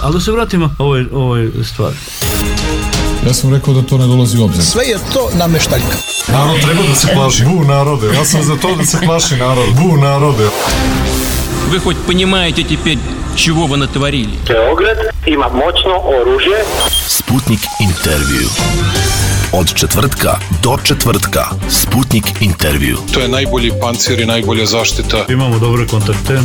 Ali da se vratimo ovoj stvari. Ja sam rekao da to ne dolazi u obzir. Sve je to nameštaljka. Narod treba da se plaši. Bu narode. Ja sam za to da se plaši narod. Bu narode. Вы хоть понимаете теперь, чего вы натворили? Beograd ima moćno oružje. Sputnik intervju. Od četvrtka do četvrtka. Sputnik intervju. To je najbolji pancir i najbolja zaštita. Imamo dobre kontakte.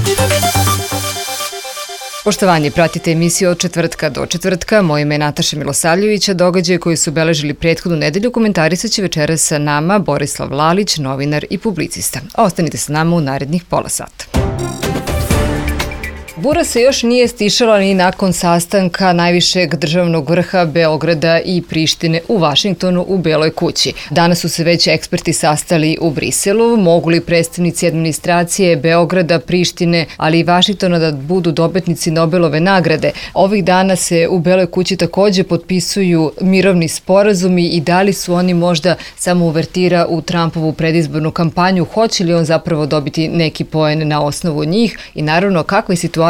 Poštovanje, pratite emisiju od četvrtka do četvrtka. Moje ime je Nataša Milosavljevića. Događaje koji su obeležili prethodnu nedelju komentarisat će večeras sa nama Borislav Lalić, novinar i publicista. Ostanite sa nama u narednih pola sata. Bura se još nije stišala ni nakon sastanka najvišeg državnog vrha Beograda i Prištine u Vašingtonu u Beloj kući. Danas su se već eksperti sastali u Briselu. Mogu li predstavnici administracije Beograda, Prištine, ali i Vašingtona da budu dobitnici Nobelove nagrade? Ovih dana se u Beloj kući takođe potpisuju mirovni sporazumi i da li su oni možda samo uvertira u Trumpovu predizbornu kampanju? Hoće li on zapravo dobiti neki poen na osnovu njih? I naravno, kakva je situacija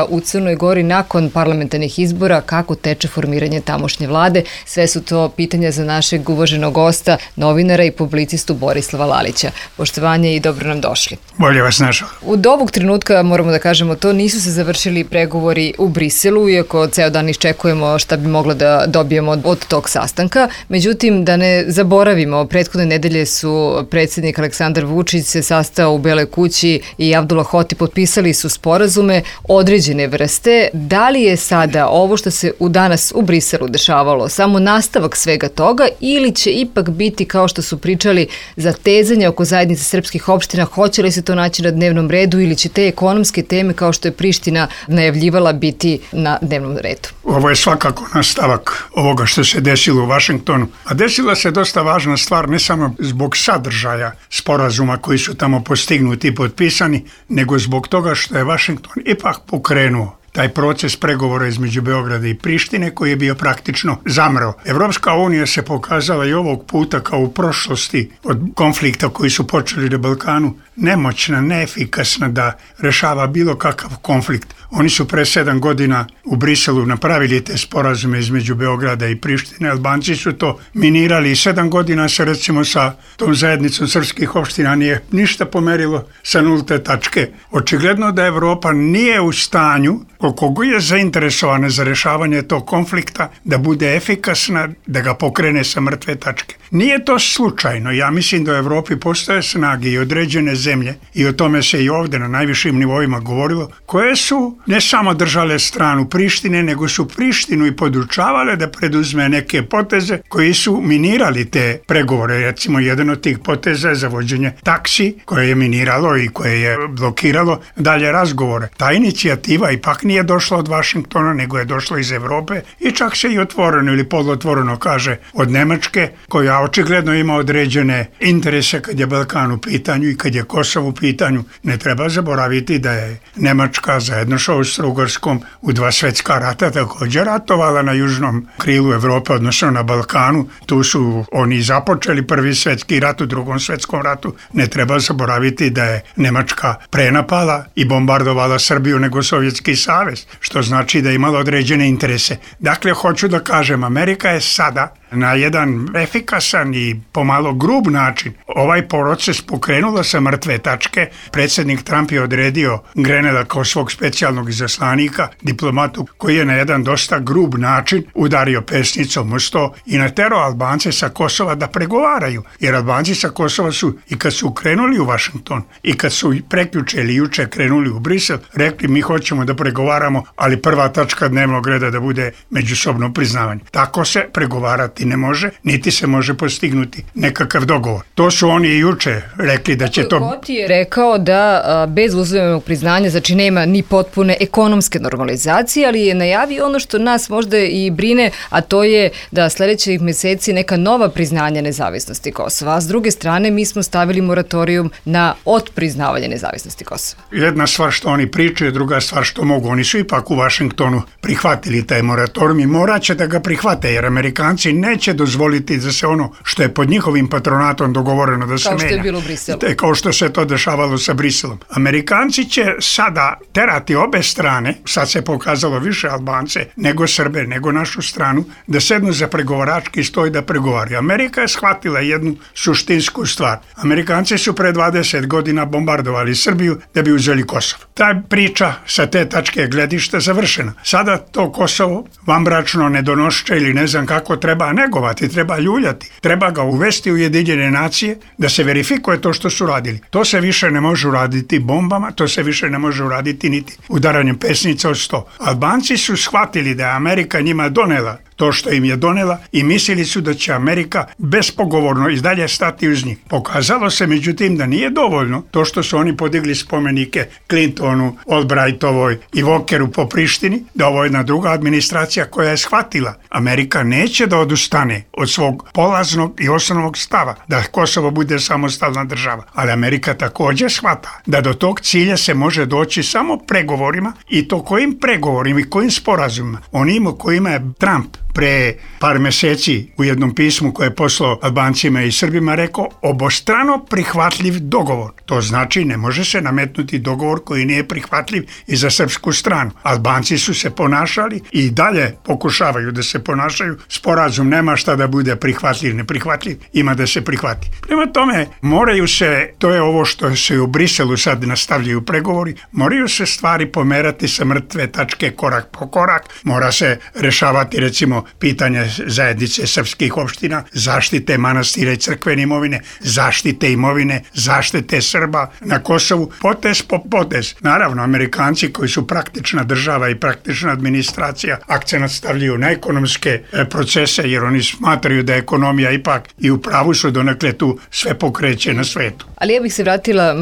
u Crnoj Gori nakon parlamentarnih izbora, kako teče formiranje tamošnje vlade? Sve su to pitanja za našeg uvaženog gosta, novinara i publicistu Borislava Lalića. Poštovanje i dobro nam došli. Bolje vas našao. Od ovog trenutka, moramo da kažemo to, nisu se završili pregovori u Briselu, iako ceo dan iščekujemo šta bi moglo da dobijemo od tog sastanka. Međutim, da ne zaboravimo, prethodne nedelje su predsjednik Aleksandar Vučić se sastao u Beloj kući i Abdullah Hoti potpisali su sporazume određene vrste. Da li je sada ovo što se danas u Briselu dešavalo samo nastavak svega toga ili će ipak biti, kao što su pričali, zatezanje oko zajednice srpskih opština? Hoće li se to naći na dnevnom redu ili će te ekonomske teme, kao što je Priština najavljivala, biti na dnevnom redu? Ovo je svakako nastavak ovoga što se desilo u Vašingtonu. A desila se dosta važna stvar, ne samo zbog sadržaja sporazuma koji su tamo postignuti i potpisani, nego zbog toga što je Vašington ipak pokrenuo taj proces pregovora između Beograda i Prištine koji je bio praktično zamro. Evropska unija se pokazala i ovog puta kao u prošlosti od konflikta koji su počeli na Balkanu nemoćna, neefikasna da rešava bilo kakav konflikt. Oni su pre 7 godina u Briselu napravili te sporazume između Beograda i Prištine. Albanci su to minirali i 7 godina se recimo sa tom zajednicom srpskih opština nije ništa pomerilo sa nulte tačke. Očigledno da Evropa nije u stanju, koliko god je zainteresovana za rešavanje tog konflikta, da bude efikasna, da ga pokrene sa mrtve tačke. Nije to slučajno. Ja mislim da u Evropi postoje snage i određene zemlje, i o tome se i ovde na najvišim nivoima govorilo, koje su ne samo držale stranu Prištine, nego su Prištinu i podučavale da preduzme neke poteze koji su minirali te pregovore. Recimo, jedan od tih poteza je zavođenje taksi, koje je miniralo i koje je blokiralo dalje razgovore. Ta inicijativa ipak nije došla od Vašingtona, nego je došla iz Evrope i čak se i otvoreno ili polotvoreno kaže od Nemačke, koja očigledno ima određene interese kad je Balkan u pitanju i kad je Kosovo u pitanju. Ne treba zaboraviti da je Nemačka zajedno sa Austro-Ugarskom u 2 svetska rata također ratovala na južnom krilu Evrope, odnosno na Balkanu. Tu su oni započeli prvi svetski rat, u drugom svetskom ratu. Ne treba zaboraviti da je Nemačka prenapala i bombardovala Srbiju nego Sovjetski savez, što znači da je imala određene interese. Dakle, hoću da kažem, Amerika je sada na jedan efikasan i pomalo grub način ovaj proces pokrenula sa mrtve tačke. Predsjednik Trump je odredio Grenela kao svog specijalnog izaslanika, diplomatu koji je na jedan dosta grub način udario pesnicom u sto i naterao Albance sa Kosova da pregovaraju. Jer Albanci sa Kosova su, i kad su krenuli u Vašington i kad su prekjuče ili juče krenuli u Brisel, rekli mi hoćemo da pregovaramo, ali prva tačka dnevnog reda da bude međusobno priznavanje. Tako se pregovarati ne može, niti se može postignuti nekakav dogovor. To su oni i juče rekli da će to... Hoti je rekao da bez uzajamnog priznanja, znači nema ni potpune ekonomske normalizacije, ali je najavio ono što nas možda i brine, a to je da sledećih meseci neka nova priznanja nezavisnosti Kosova. A s druge strane, mi smo stavili moratorijum na otpriznavanje nezavisnosti Kosova. Jedna stvar što oni pričaju, druga stvar što mogu. Oni su ipak u Vašingtonu prihvatili taj moratorijum i morat će da ga prihvate, jer Amerikanci neće dozvoliti da se ono što je pod njihovim patronatom dogovoreno da se menja. Kao što je bilo u Briselu. Kao što se to dešavalo sa Briselom. Amerikanci će sada terati obe strane, sad se pokazalo više Albance nego Srbe, nego našu stranu, da sednu za pregovarački stoj da pregovaraju. Amerika je shvatila jednu suštinsku stvar. Amerikanci su pre 20 godina bombardovali Srbiju da bi uzeli Kosovo. Ta priča sa te tačke gledišta završena. Sada to Kosovo vanbračno, nedonošće ili ne znam kako treba negovati, treba ljuljati. Treba ga uvesti u Ujedinjene nacije da se verifikuje to što su radili. To se više ne može uraditi bombama, to se više ne može uraditi niti udaranjem pesnica od 100. Albanci su shvatili da je Amerika njima donela to što im je donela i mislili su da će Amerika bespogovorno i dalje stati uz njih. Pokazalo se međutim da nije dovoljno to što su oni podigli spomenike Clintonu, Albrightovoj i Walkeru po Prištini, da ovo je jedna druga administracija koja je shvatila. Amerika neće da odustane od svog polaznog i osnovnog stava da Kosovo bude samostalna država, ali Amerika također shvata da do tog cilja se može doći samo pregovorima, i to kojim pregovorima i kojim sporazumima. Onima kojima je Trump pre par meseci u jednom pismu koje je poslao Albancima i Srbima rekao obostrano prihvatljiv dogovor. To znači ne može se nametnuti dogovor koji nije prihvatljiv i za srpsku stranu. Albanci su se ponašali i dalje pokušavaju da se ponašaju. Sporazum nema šta da bude prihvatljiv, neprihvatljiv, ima da se prihvati. Prema tome, moraju se, to je ovo što se u Briselu sad nastavljaju pregovori, moraju se stvari pomerati sa mrtve tačke korak po korak, mora se rešavati recimo pitanje zajednice srpskih opština, zaštite manastira i crkvene imovine, zaštite imovine, zaštite Srba na Kosovu, potez po potez. Naravno, Amerikanci koji su praktična država i praktična administracija akcenat stavljaju na ekonomske procese, jer oni smatraju da ekonomija ipak i u pravu su donekle tu sve pokreće na svetu. Ali ja bih se vratila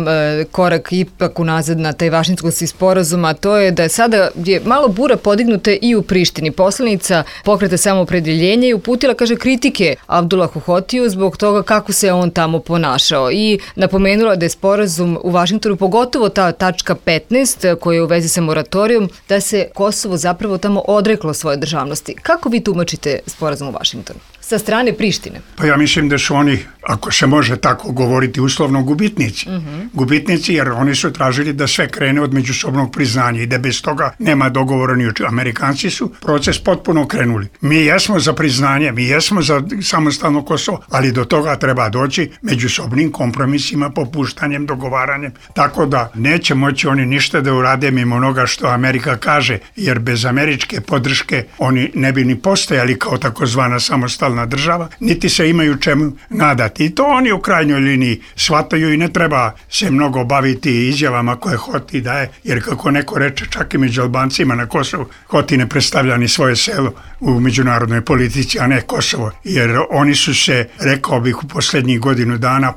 korak ipak unazad na taj Vašingtonski sporazum, a to je da sada je malo bura podignuta i u Prištini. Poslanica Pokreta samoopredjeljenja i uputila, kaže, kritike Abdulahu Hotiju zbog toga kako se on tamo ponašao i napomenula da je sporazum u Vašingtonu, pogotovo ta tačka 15 koja je u vezi sa moratorijom, da se Kosovo zapravo tamo odreklo svoje državnosti. Kako vi tumačite sporazum u Vašingtonu? Sa strane Prištine? Pa ja mislim da su oni, ako se može tako govoriti, uslovno gubitnici. Gubitnici jer oni su tražili da sve krene od međusobnog priznanja i da bez toga nema dogovora ni oči. Amerikanci su proces potpuno krenuli. Mi jesmo za priznanje, mi jesmo za samostalno Kosovo, ali do toga treba doći međusobnim kompromisima, popuštanjem, dogovaranjem. Tako da neće moći oni ništa da urade mimo onoga što Amerika kaže, jer bez američke podrške oni ne bi ni postojali kao takozvana samostalna država, niti se imaju čemu nadati. I to oni u krajnjoj liniji shvataju i ne treba se mnogo baviti izjavama koje Hoti daje, jer kako neko reče, čak i među Albancima na Kosovu, Hoti ne predstavlja ni svoje selo u međunarodnoj politici, a ne Kosovo. Jer oni su se, rekao bih, u posljednjih godinu dana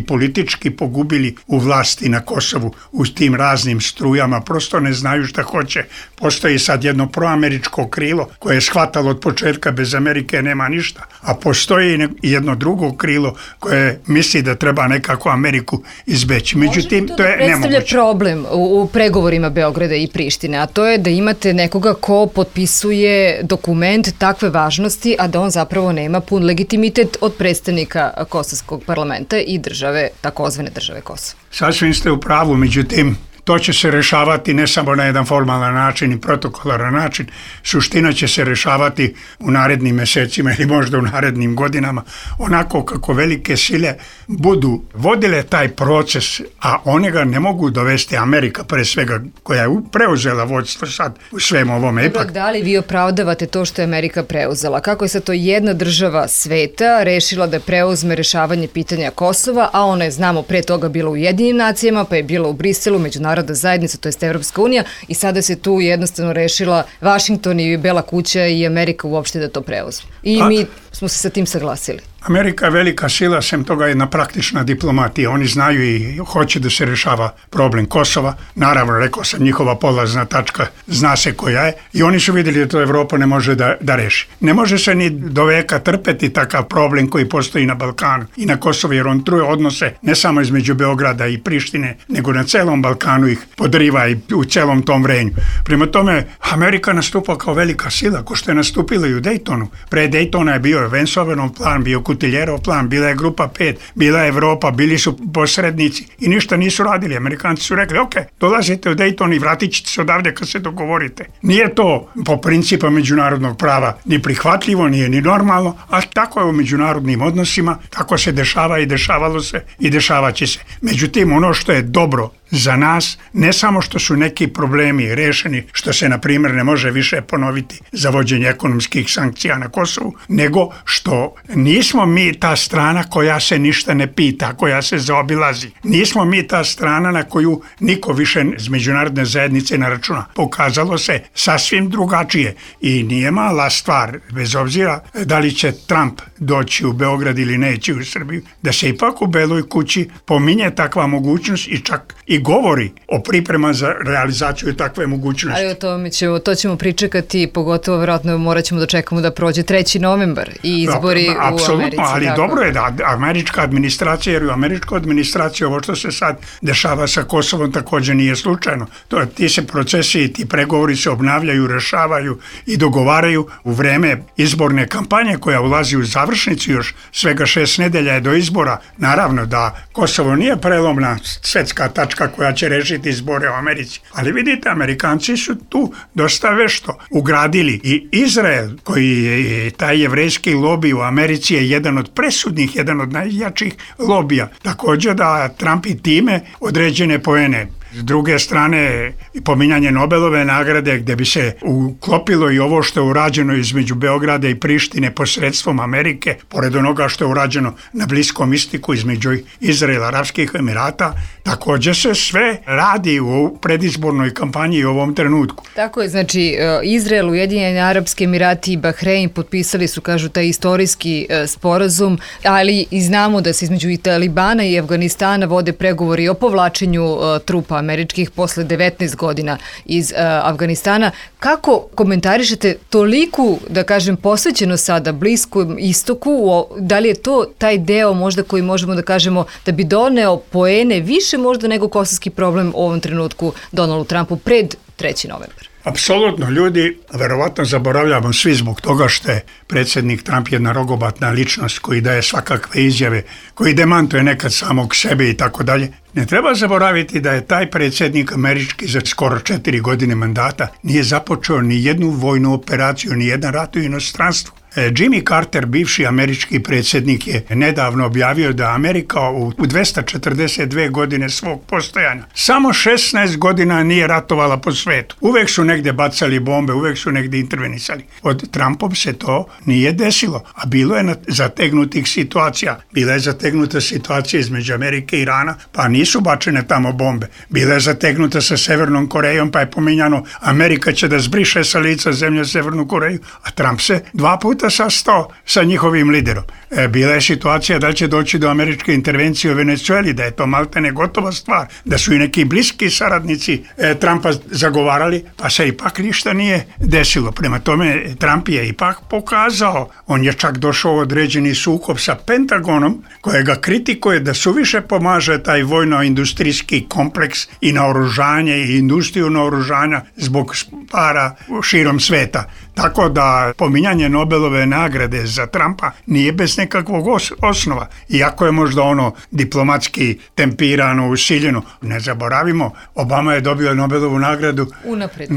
politički pogubili u vlasti na Kosovu, u tim raznim strujama, prosto ne znaju šta hoće. Postoji sad jedno proameričko krilo koje je shvatalo od početka bez Amerike nema ništa, a postoji jedno drugo krilo koje misli da treba nekako Ameriku izbeći. Međutim, to je nemoguće. Predstavlja problem u pregovorima Beograda i Prištine, a to je da imate nekoga ko potpisuje dokument takve važnosti, a da on zapravo nema pun legitimitet od predstavnika Kosovskog parlamenta i države, takozvane države Kosovo. Sasvim ste u pravu, međutim, to će se rešavati ne samo na jedan formalan način i protokolaran način. Suština će se rešavati u narednim mesecima ili možda u narednim godinama, onako kako velike sile budu vodile taj proces, a one ga ne mogu dovesti, Amerika pre svega, koja je preuzela vodstvo sad u svem ovome. Dobro, da li vi opravdavate to što je Amerika preuzela? Kako je sad to jedna država sveta rešila da preuzme rešavanje pitanja Kosova, a ona je, znamo, pre toga bila u Ujedinjenim nacijama, pa je bila u Briselu, međunarodna zajednica, to jest Evropska unija, i sada se tu jednostavno rešila Vašington i Bela kuća i Amerika uopšte da to preuzme. I mi smo se sa tim saglasili. Amerika je velika sila, sem toga je jedna praktična diplomatija. Oni znaju i hoće da se rešava problem Kosova. Naravno, rekao sam, njihova polazna tačka zna se koja je i oni su vidjeli da to Evropa ne može da reši. Ne može se ni do veka trpeti takav problem koji postoji na Balkanu i na Kosovu, jer on truje odnose ne samo između Beograda i Prištine, nego na celom Balkanu ih podriva i u celom tom vrenju. Prema tome, Amerika nastupa kao velika sila, ko što je nastupila i u Daytonu. Pre Daytona je bio je Vensovenov plan, bio Kutiljerov plan, bila je Grupa 5, bila je Evropa, bili su posrednici i ništa nisu radili. Amerikanci su rekli, ok, dolazite u Dayton i vratit ćete se odavde kad se dogovorite. Nije to po principu međunarodnog prava ni prihvatljivo, nije ni normalno, a tako je u međunarodnim odnosima, tako se dešava i dešavalo se i dešavat će se. Međutim, ono što je dobro za nas, ne samo što su neki problemi rešeni, što se, na primjer, ne može više ponoviti za vođenje ekonomskih sankcija na Kosovu, nego što nismo mi ta strana koja se ništa ne pita, koja se zaobilazi. Nismo mi ta strana na koju niko više iz međunarodne zajednice ne računa. Pokazalo se sasvim drugačije i nije mala stvar, bez obzira da li će Trump doći u Beograd ili neće u Srbiju, da se ipak u Beloj kući pominje takva mogućnost i čak i govori o priprema za realizaciju takve mogućnosti. Ali o tome to ćemo pričekati, pogotovo vjerojatno morat ćemo da čekamo da prođe 3. novembar i izbori u Americi. Ali tako. Dobro je da američka administracija, jer u američkoj administraciji ovo što se sad dešava sa Kosovom također nije slučajno. Ti se procesi i ti pregovori se obnavljaju, rešavaju i dogovaraju u vreme izborne kampanje koja ulazi u završnicu, još svega 6 nedelja je do izbora. Naravno da Kosovo nije prelomna svetska tačka koja će rešiti izbore u Americi. Ali vidite, Amerikanci su tu dosta vešto ugradili i Izrael, koji je taj jevrejski lobi u Americi je jedan od presudnih, jedan od najjačih lobija. Također da Trump i time određene poene. S druge strane, pominjanje Nobelove nagrade gdje bi se uklopilo i ovo što je urađeno između Beograda i Prištine posredstvom Amerike, pored onoga što je urađeno na Bliskom istoku između Izraela, Arapskih Emirata, također se sve radi u predizbornoj kampanji u ovom trenutku. Tako je, znači Izrael, Ujedinjeni Arapski Emirati i Bahrein potpisali su, kažu, taj istorijski sporazum, ali i znamo da se između i Talibana i Afganistana vode pregovori o povlačenju trupa američkih posle 19 godina iz Afganistana. Kako komentarišete toliku, da kažem, posvećeno sada Bliskom istoku? Da li je to taj deo možda koji možemo da kažemo da bi doneo poene više možda nego kosovski problem u ovom trenutku Donaldu Trumpu pred 3. novembar? Apsolutno, ljudi, verovatno zaboravljamo svi zbog toga što je predsjednik Trump jedna rogobatna ličnost koji daje svakakve izjave, koji demantuje nekad samog sebe i tako dalje. Ne treba zaboraviti da je taj predsjednik američki za skoro 4 godine mandata nije započeo ni jednu vojnu operaciju, ni jedan rat u inostranstvu. Jimmy Carter, bivši američki predsjednik, je nedavno objavio da Amerika u 242 godine svog postojanja samo 16 godina nije ratovala po svetu. Uvek su negdje bacali bombe, uvek su negdje intervenisali. Od Trumpom se to nije desilo, a bilo je zategnutih situacija. Bila je zategnuta situacija između Amerike i Irana, pa nisu bačene tamo bombe. Bila je zategnuta sa Severnom Korejom, pa je pominjano Amerika će da zbriše sa lica zemlje Severnu Koreju, a Trump se 2 puta sastao sa njihovim liderom. Bila je situacija da će doći do američke intervencije u Venezueli, da je to maltene gotova stvar, da su i neki bliski saradnici Trumpa zagovarali, pa se ipak ništa nije desilo. Prema tome, Trump je ipak pokazao, on je čak došao u određeni sukob sa Pentagonom, kojega kritikuje da suviše pomaže taj vojno-industrijski kompleks i naoružanje i industriju naoružanja zbog para širom sveta. Tako da pominjanje Nobelove nagrade za Trumpa nije bez nekakvog osnova. Iako je možda ono diplomatski tempirano, usiljeno. Ne zaboravimo, Obama je dobio Nobelovu nagradu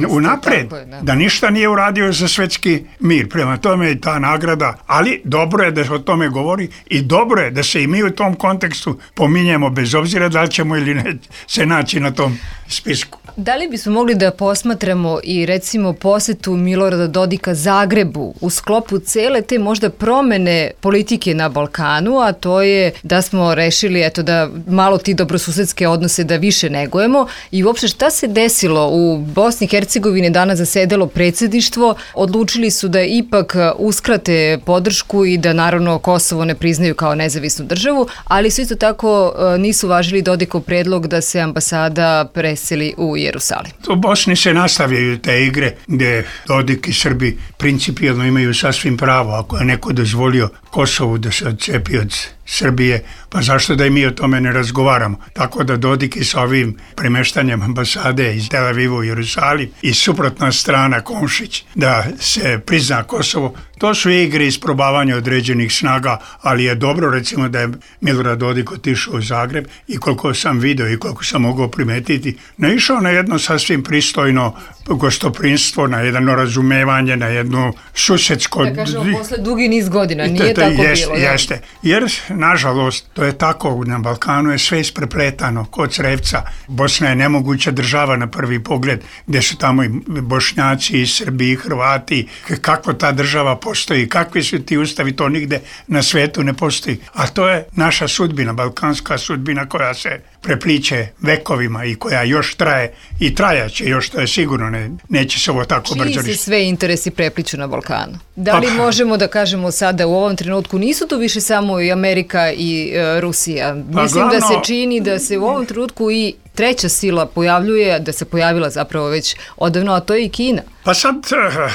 unapred, da ništa nije uradio za svetski mir. Prema tome je ta nagrada, ali dobro je da se o tome govori i dobro je da se i mi u tom kontekstu pominjemo bez obzira da li ćemo ili ne se naći na tom spisku. Da li bismo mogli da posmatramo i recimo posetu Milorada Dodika Zagrebu u sklopu cele te možda promene politike na Balkanu, a to je da smo rešili da malo ti dobrosusedske odnose da više negujemo i uopšte šta se desilo u Bosni i Hercegovini danas zasedalo predsjedništvo, odlučili su da ipak uskrate podršku i da naravno Kosovo ne priznaju kao nezavisnu državu, ali su isto tako nisu važili Dodikov predlog da se ambasada preseli u Jerusalim. U Bosni se nastavljaju te igre gdje Dodik i Srbi principijelno imaju sasvim pravo. Ako je neko dozvolio Kosovu da se odcepi od Srbije, pa zašto da i mi o tome ne razgovaramo? Tako da Dodik i sa ovim premeštanjem ambasade iz Tel Aviva u Jerusalim i suprotna strana Komšić da se prizna Kosovo, To su igre isprobavanja određenih snaga, ali je dobro recimo da je Milorad Dodik otišao u Zagreb i koliko sam video i koliko sam mogao primetiti, naišao na jedno sasvim pristojno gostoprinstvo, na jedno razumevanje, na jedno susedsko... Da kažemo, posle dugi niz godina, nije tako bilo. Jeste, jer nažalost to je tako, na Balkanu je sve isprepletano, kod crevca. Bosna je nemoguća država na prvi pogled, gdje su tamo i Bošnjaci, i Srbi, i Hrvati, kako ta država postoji, kakvi su ti ustavi, to nigde na svetu ne postoji. A to je naša sudbina, balkanska sudbina koja se prepliče vekovima i koja još traje i trajaće još, to je sigurno, neće se ovo tako brzo riješiti. Čiji se sve interesi prepliču na Balkanu? Da li možemo da kažemo sada u ovom trenutku nisu to više samo i Amerika i Rusija? Mislim da se čini da se u ovom trenutku i treća sila pojavljuje, da se pojavila zapravo već odavno, a to je i Kina. Pa sad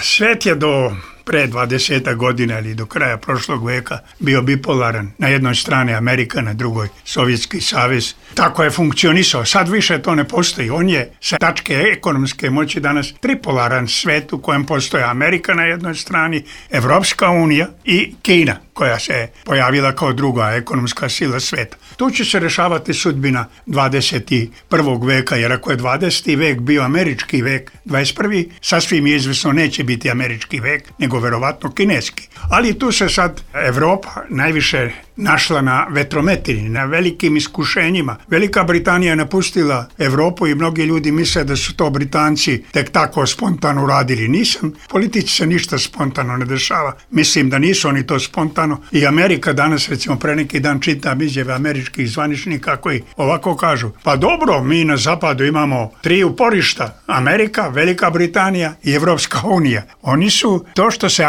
svet je do pre 20 godina ili do kraja prošlog veka bio bipolaran. Na jednoj strani Amerika, na drugoj Sovjetski savez. Tako je funkcionisao. Sad više to ne postoji. On je sa tačke ekonomske moći danas tripolaran svet u kojem postoje Amerika na jednoj strani, Evropska unija i Kina, koja se pojavila kao druga ekonomska sila sveta. Tu će se rešavati sudbina 21. veka, jer ako je 20. vek bio američki vek, 21. sasvim izvesno neće biti američki vek, nego verovatno kineski. Ali tu se sad Evropa najviše našla na vetrometini, na velikim iskušenjima. Velika Britanija je napustila Evropu i mnogi ljudi misle da su to Britanci tek tako spontano radili. Nisam, politici se ništa spontano ne dešava. Mislim da nisu oni to spontano. I Amerika danas, recimo pre neki dan čitam izjave američkih zvaničnika koji ovako kažu, pa dobro, mi na zapadu imamo 3 uporišta, Amerika, Velika Britanija i Evropska unija. Oni su, to što se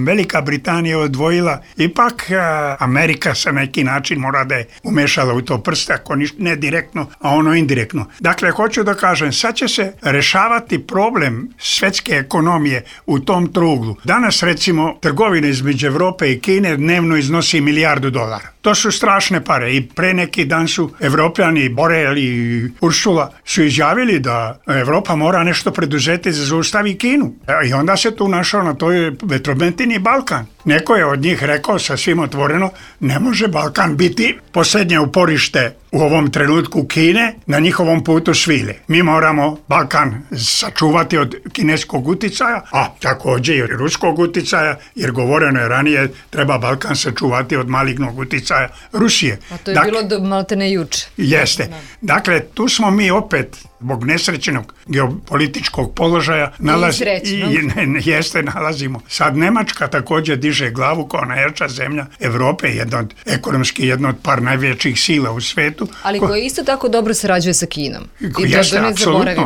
Velika Britanija odvojila, ipak Amerika sa neki način mora da je umešala u to prste, ako ne direktno, a ono indirektno. Dakle, hoću da kažem, sad će se rešavati problem svetske ekonomije u tom truglu. Danas, recimo, trgovina između Evrope i Kine dnevno iznosi $1 milijardu. To su strašne pare i pre neki dan su Evropljani, Borel i Ursula su izjavili da Evropa mora nešto preduzeti za zaustavi Kinu. I onda se tu našao na toj vetrometini Balkan. Neko je od njih rekao sasvim otvoreno, ne može Balkan biti posljednje uporište u ovom trenutku Kine na njihovom putu svile. Mi moramo Balkan sačuvati od kineskog uticaja, a također i ruskog uticaja, jer govoreno je ranije treba Balkan sačuvati od malignog uticaja Rusije. A to je bilo maltene juče. Jeste. Dakle, tu smo mi opet zbog nesrećenog geopolitičkog položaja nalazimo. Sad Nemačka također diže glavu kao najjača zemlja Evrope, ekonomski jedna od par najvećih sila u svetu. Ali koja isto tako dobro sarađuje sa Kinom. Jeste,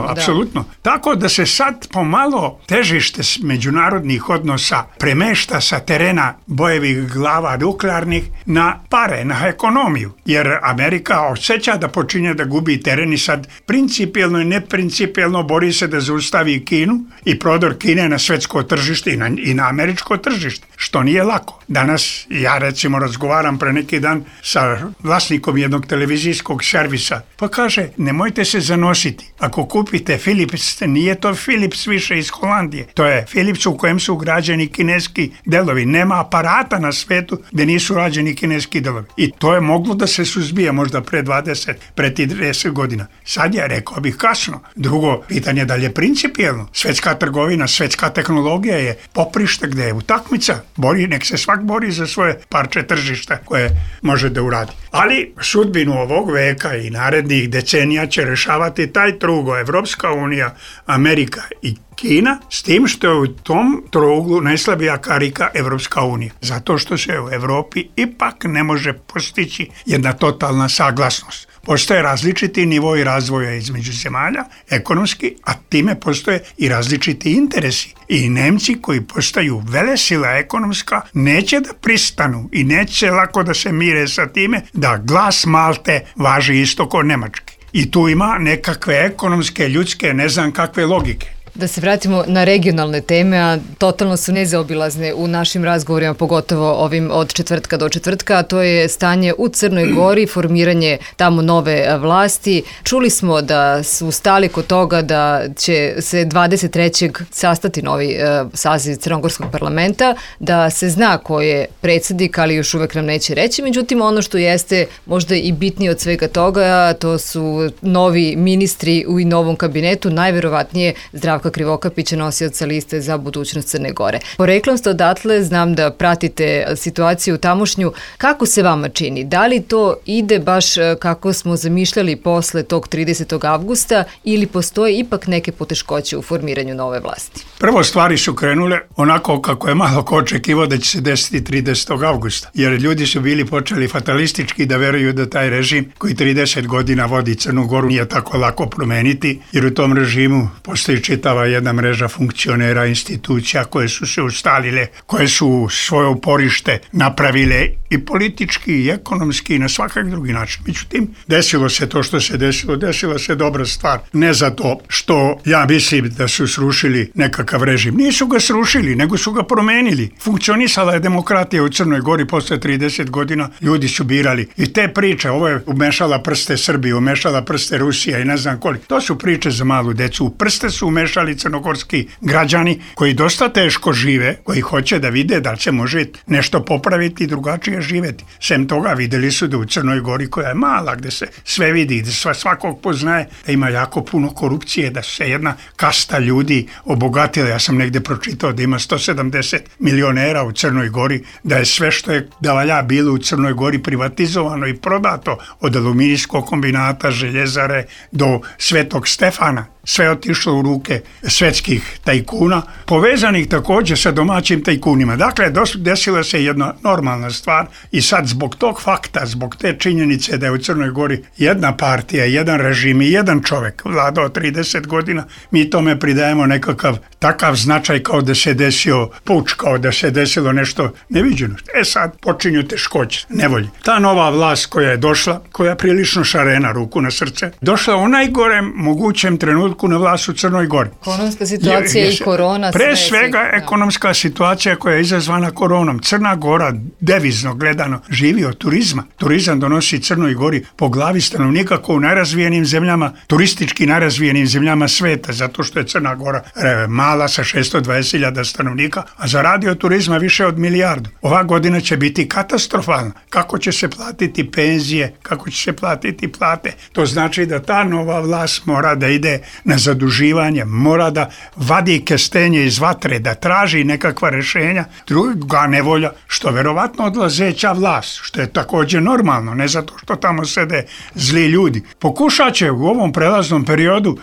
apsolutno. Tako da se sad pomalo težište međunarodnih odnosa premešta sa terena bojevih glava nuklearnih na pare, na ekonomiju. Jer Amerika osjeća da počinje da gubi teren i sad principijelno i neprincipijelno bori se da zaustavi Kinu i prodor Kine na svetsko tržište i na američko tržište, što nije lako. Danas ja recimo razgovaram pre neki dan sa vlasnikom jednog televizijskog servisa, pa kaže, nemojte se zanositi. Ako kupite Philips, nije to Philips više iz Holandije. To je Philips u kojem su ugrađeni kineski delovi. Nema aparata na svetu gdje nisu rađeni kineski delovi. I to je moglo da se suzbije možda pre 30 godina. Sad je, rekao bih, kasno. Drugo, pitanje da li je principijelno. Svetska trgovina, svetska tehnologija je poprište gdje je utakmica. Nek se svak bori za svoje parče tržišta koje može da uradi. Ali sudbinu ovog veka i narednih decenija će rešavati taj trugo, Evropska unija, Amerika i Kina, s tim što je u tom trouglu najslabija karika Evropska unija. Zato što se u Evropi ipak ne može postići jedna totalna saglasnost. Postoje različiti nivoi razvoja između zemalja, ekonomski, a time postoje i različiti interesi. I Nemci koji postaju velesila ekonomska neće da pristanu i neće lako da se mire sa time da glas Malte važi isto kao nemački. I tu ima nekakve ekonomske, ljudske, ne znam kakve logike. Da se vratimo na regionalne teme, a totalno su nezaobilazne u našim razgovorima, pogotovo ovim od četvrtka do četvrtka, a to je stanje u Crnoj Gori, formiranje tamo nove vlasti. Čuli smo da su stali kod toga da će se 23. sastati novi saziv Crnogorskog parlamenta, da se zna ko je predsjednik, ali još uvek nam neće reći. Međutim, ono što jeste možda i bitnije od svega toga, to su novi ministri u novom kabinetu, najverovatnije Zdravka Krivokapića, nosioca liste za budućnost Crne Gore. Poreklom ste odatle, znam da pratite situaciju tamošnju. Kako se vama čini? Da li to ide baš kako smo zamišljali posle tog 30. avgusta ili postoje ipak neke poteškoće u formiranju nove vlasti? Prvo, stvari su krenule onako kako je malo ko očekivao da će se desiti 30. avgusta, jer ljudi su bili počeli fatalistički da veruju da taj režim koji 30 godina vodi Crnu Goru nije tako lako promeniti, jer u tom režimu postoji čitava jedna mreža funkcionera, institucija koje su se ustalile, koje su svoje uporište napravile i politički i ekonomski i na svakak drugi način. Međutim, desilo se to što se desilo, desila se dobra stvar. Ne zato što ja mislim da su srušili nekakav režim. Nisu ga srušili, nego su ga promenili. Funkcionisala je demokratija u Crnoj Gori posle 30 godina, ljudi su birali. I te priče, ovo je umešala prste Srbije, umešala prste Rusija i ne znam koliko. To su priče za malu decu. U prste su umešali crnogorski građani koji dosta teško žive, koji hoće da vide da se može nešto popraviti i drugačije živeti. Sem toga videli su da u Crnoj Gori, koja je mala, gde se sve vidi, da svakog poznaje, da ima jako puno korupcije, da se jedna kasta ljudi obogatila. Ja sam negde pročitao da ima 170 milionera u Crnoj Gori, da je sve što je da valja bilo u Crnoj Gori privatizovano i prodato, od aluminijskog kombinata, željezare do Svetog Stefana. Sve otišlo u ruke svetskih tajkuna, povezanih također sa domaćim tajkunima. Dakle, desila se jedna normalna stvar i sad zbog tog fakta, zbog te činjenice da je u Crnoj Gori jedna partija, jedan režim i jedan čovjek vladao 30 godina, mi tome pridajemo nekakav takav značaj kao da se desio puč, kao da se desilo nešto neviđeno. Sad počinju teškoće, nevolje. Ta nova vlast koja je došla, koja je prilično šarena, ruku na srce, došla u najgorem mogućem trenutku na vlast u Crnoj Gori. Ekonomska situacija i korona. Pre svega ekonomska situacija koja je izazvana koronom. Crna Gora, devizno gledano, živi od turizma. Turizam donosi Crnoj Gori po glavi stanovnika kao u najrazvijenim zemljama, turistički najrazvijenim zemljama sveta, zato što je Crna Gora mala sa 620.000 stanovnika, a zaradi od turizma više od milijardu. Ova godina će biti katastrofalna. Kako će se platiti penzije, kako će se platiti plate? To znači da ta nova vlast mora da ide na zaduživanje, mora da vadi kestenje iz vatre, da traži nekakva rješenja. Druga nevolja, što verovatno odlazeća vlast, što je također normalno, ne zato što tamo sede zli ljudi. Pokušat će u ovom prelaznom periodu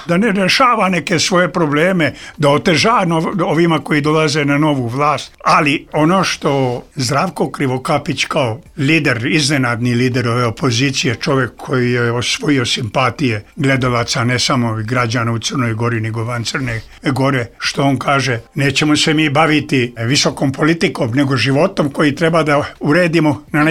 da ne rešava neke svoje probleme, da oteža ovima koji dolaze na novu vlast. Ali ono što Zdravko Krivokapić kao lider, iznenadni lider ove opozicije, čovjek koji je osvojio simpatije gledalaca, ne samo građana u Crnoj Gori, nego van Crne Gore, što on kaže, nećemo se mi baviti visokom politikom, nego životom koji treba da uredimo na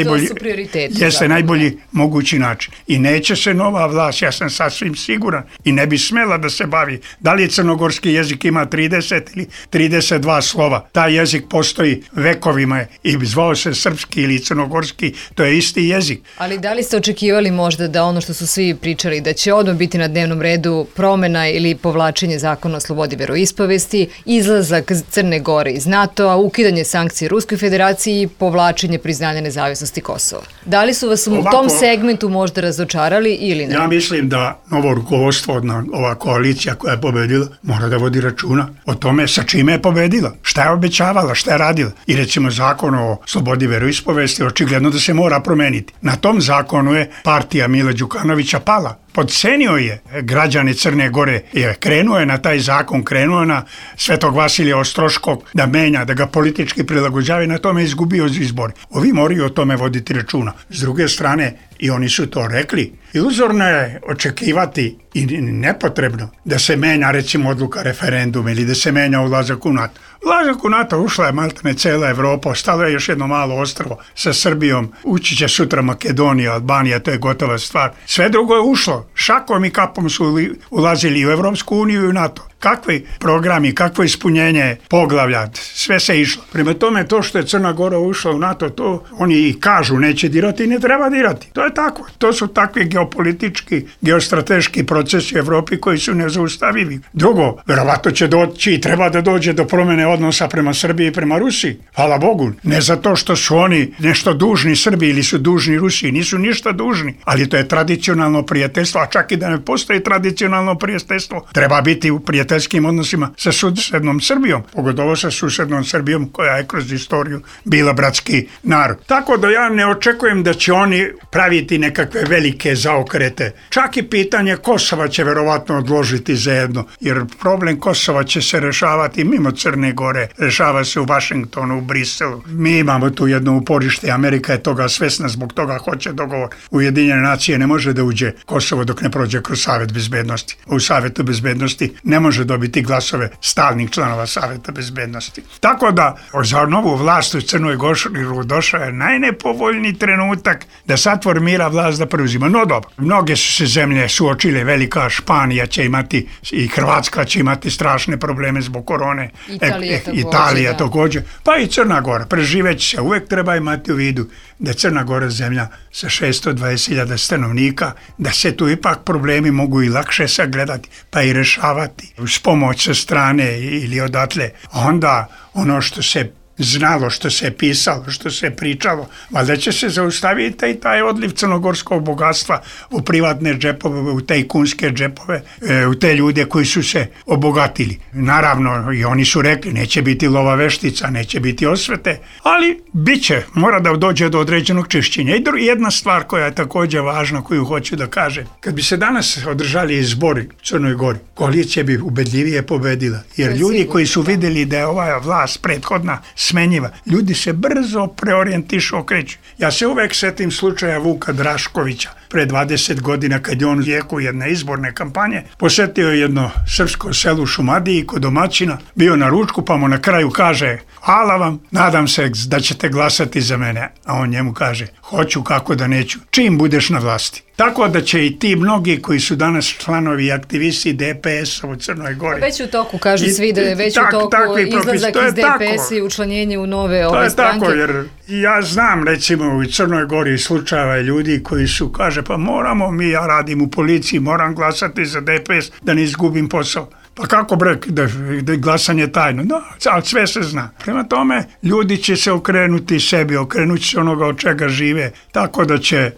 najbolji mogući način. I neće se nova vlast, ja sam sasvim siguran, i ne bi smela da se bavi. Da li crnogorski jezik ima 30 ili 32 slova? Taj jezik postoji vekovima i zvao se srpski ili crnogorski, to je isti jezik. Ali da li ste očekivali možda da ono što su svi pričali, da će odmah biti na dnevnom redu promjena ili povlačenje zakona o slobodi veroispovesti, izlazak Crne Gore iz NATO-a, ukidanje sankcije Ruskoj federaciji i povlačenje priznanja nezavisnosti Kosova? Da li su vas u tom segmentu možda razočarali ili ne? Ja mislim da novo rukovodstvo, ova koalicija koja je pobedila, mora da vodi računa o tome sa čime je pobedila, šta je obećavala, šta je radila. I recimo zakon o slobodi veroispovesti očigledno da se mora promeniti. Na tom zakonu je partija Mila Đukanovića pala. Podcenio je građane Crne Gore, krenuo je na taj zakon, krenuo na Svetog Vasilija Ostroškog da menja, da ga politički prilagođava i na tome izgubio izbor. Ovi moraju o tome voditi računa. S druge strane, i oni su to rekli, iluzorno je očekivati i nepotrebno da se menja recimo odluka referenduma ili da se menja ulazak u NATO. Ulazak u NATO ušla je maltene cela Evropa, ostalo je još jedno malo ostrvo sa Srbijom, ući će sutra Makedonija, Albanija, to je gotova stvar. Sve drugo je ušlo, šakom i kapom su ulazili u Evropsku uniju i u NATO. kakvi programi, kakvo ispunjenje poglavlja, sve se išlo. Prema tome, to što je Crna Gora ušla u NATO, to oni i kažu neće dirati i ne treba dirati. To je tako. To su takvi geopolitički, geostrateški procesi u Evropi koji su nezaustavivi. Drugo, verovatno će doći i treba da dođe do promene odnosa prema Srbiji i prema Rusiji. Hvala Bogu. Ne zato što su oni nešto dužni Srbiji ili su dužni Rusiji. Nisu ništa dužni. Ali to je tradicionalno prijateljstvo, a čak i da ne postoji tradicionalno prijateljstvo, treba biti u prijateljskim odnosima sa susednom Srbijom. Pogotovo sa susednom Srbijom koja je kroz istoriju bila bratski narod. Tako da ja ne očekujem da će oni praviti nekakve velike zaokrete. Čak i pitanje Kosova će verovatno odložiti zajedno, jer problem Kosova će se rešavati mimo Crne Gore, rešava se u Vašingtonu, u Briselu. Mi imamo tu jedno uporište, Amerika je toga svesna, zbog toga hoće dogovor. Ujedinjene nacije ne može da uđe Kosovo dok ne prođe kroz Savet bezbednosti. U Savetu bezbednosti ne može dobiti glasove stalnih članova Saveta bezbednosti. Tako da za novu vlast u Crnoj Gori došao je najnepovoljniji trenutak da sad formira vlast da preuzima. No dobro, mnoge su se zemlje suočile, velika Španija će imati i Hrvatska će imati strašne probleme zbog korone. Italija također. Pa i Crna Gora. Preživeći se. Uvek treba imati u vidu da je Crna Gora zemlja sa 620.000 stanovnika, da se tu ipak problemi mogu i lakše sagledati, pa i rešavati uz pomoć sa strane ili odatle. Onda ono što se znalo, što se pisalo, što se pričalo, valjda će se zaustaviti i taj odliv crnogorskog bogatstva u privatne džepove, u tajkunske džepove, u te ljude koji su se obogatili. Naravno, i oni su rekli, neće biti lova veštica, neće biti osvete, ali bit će, mora da dođe do određenog čišćenja. I jedna stvar koja je također važna, koju hoću da kažem, kad bi se danas održali izbori u Crnoj Gori, koalicija bi ubedljivije pobedila, jer ljudi koji su vidjeli da je ova vlast prethodna smenjiva. Ljudi se brzo preorijentišu, okreću. Ja se uvek setim slučaja Vuka Draškovića pre 20 godina kad je on u jeku jedne izborne kampanje posetio jedno srpsko selo u Šumadiji kod domaćina, bio na ručku pa mu na kraju kaže: hvala vam, nadam se da ćete glasati za mene. A on njemu kaže: hoću, kako da neću, čim budeš na vlasti. Tako da će i ti mnogi koji su danas članovi i aktivisti DPS-a u Crnoj Gori. Već u toku, kažu svi da je već u toku izlazak iz DPS-a i učlanjenje u nove ove stranke. To je tako, jer ja znam recimo u Crnoj Gori slučajeva ljudi koji su, kaže, pa moramo mi, ja radim u policiji, moram glasati za DPS da ne izgubim posao. Pa kako bre, da glasanje tajno? Da, ali sve se zna. Prema tome, ljudi će se okrenuti sebi, okrenuti se onoga od čega žive, tako da će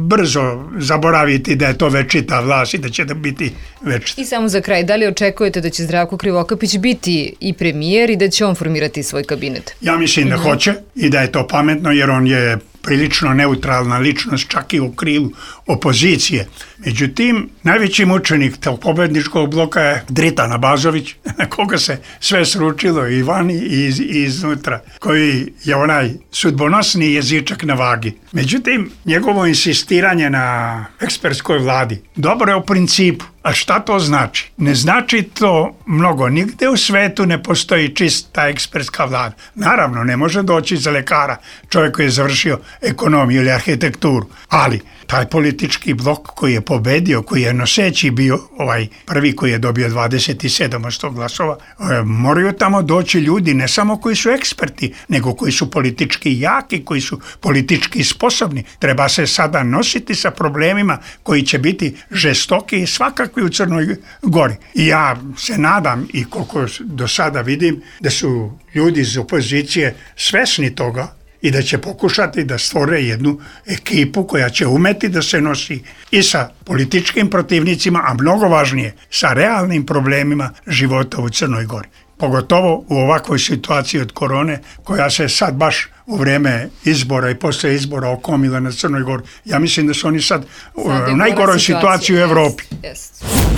brzo zaboraviti da je to večita vlast i da će da biti večita. I samo za kraj, da li očekujete da će Zdravko Krivokapić biti i premijer i da će on formirati svoj kabinet? Ja mislim da hoće i da je to pametno, jer on je prilično neutralna ličnost, čak i u krilu opozicije. Međutim, najveći mučenik tog pobedničkog bloka je Dritan Abazović, na koga se sve sručilo i vani i iznutra, koji je onaj sudbonosni jezičak na vagi. Međutim, njegovo insistiranje na ekspertskoj vladi dobro je u principu. A šta to znači? Ne znači to mnogo. Nigde u svetu ne postoji čista ekspertska vlada. Naravno, ne može doći za lekara čovjek koji je završio ekonomiju ili arhitekturu. Ali taj politički blok koji je pobedio, koji je noseći bio, ovaj prvi koji je dobio 27% glasova, moraju tamo doći ljudi ne samo koji su eksperti, nego koji su politički jaki, koji su politički sposobni. Treba se sada nositi sa problemima koji će biti žestoki i svakakvi u Crnoj Gori. I ja se nadam, i koliko do sada vidim, da su ljudi iz opozicije svesni toga i da će pokušati da stvore jednu ekipu koja će umeti da se nosi i sa političkim protivnicima, a mnogo važnije, sa realnim problemima života u Crnoj Gori. Pogotovo u ovakvoj situaciji od korone, koja se sad baš u vreme izbora i posle izbora okomila na Crnoj Gori. Ja mislim da su oni sad u najgoroj situaciji u Evropi.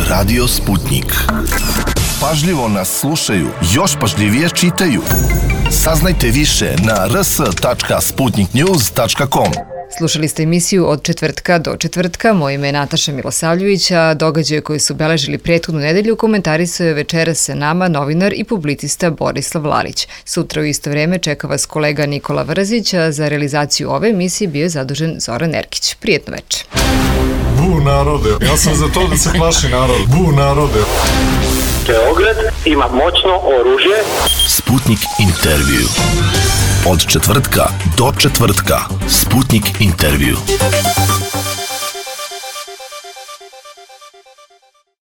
Radio Sputnik. Pažljivo nas slušaju, još pažljivije čitaju. Saznajte više na rs.sputniknews.com. Slušali ste emisiju Od četvrtka do četvrtka. Moje ime je Nataša Milosavljević, a događaje koji su obeležili prethodnu nedelju komentarisao je večeras sa nama novinar i publicista Borislav Lalić. Sutra u isto vreme čeka vas kolega Nikola Vrzić, a za realizaciju ove emisije bio je zadužen Zoran Erkić. Prijetno večer. Bu narode, ja sam za to da se plaši narod. Bu narode. Beograd ima moćno oružje. Sputnik intervju. Od četvrtka do četvrtka. Sputnik intervju.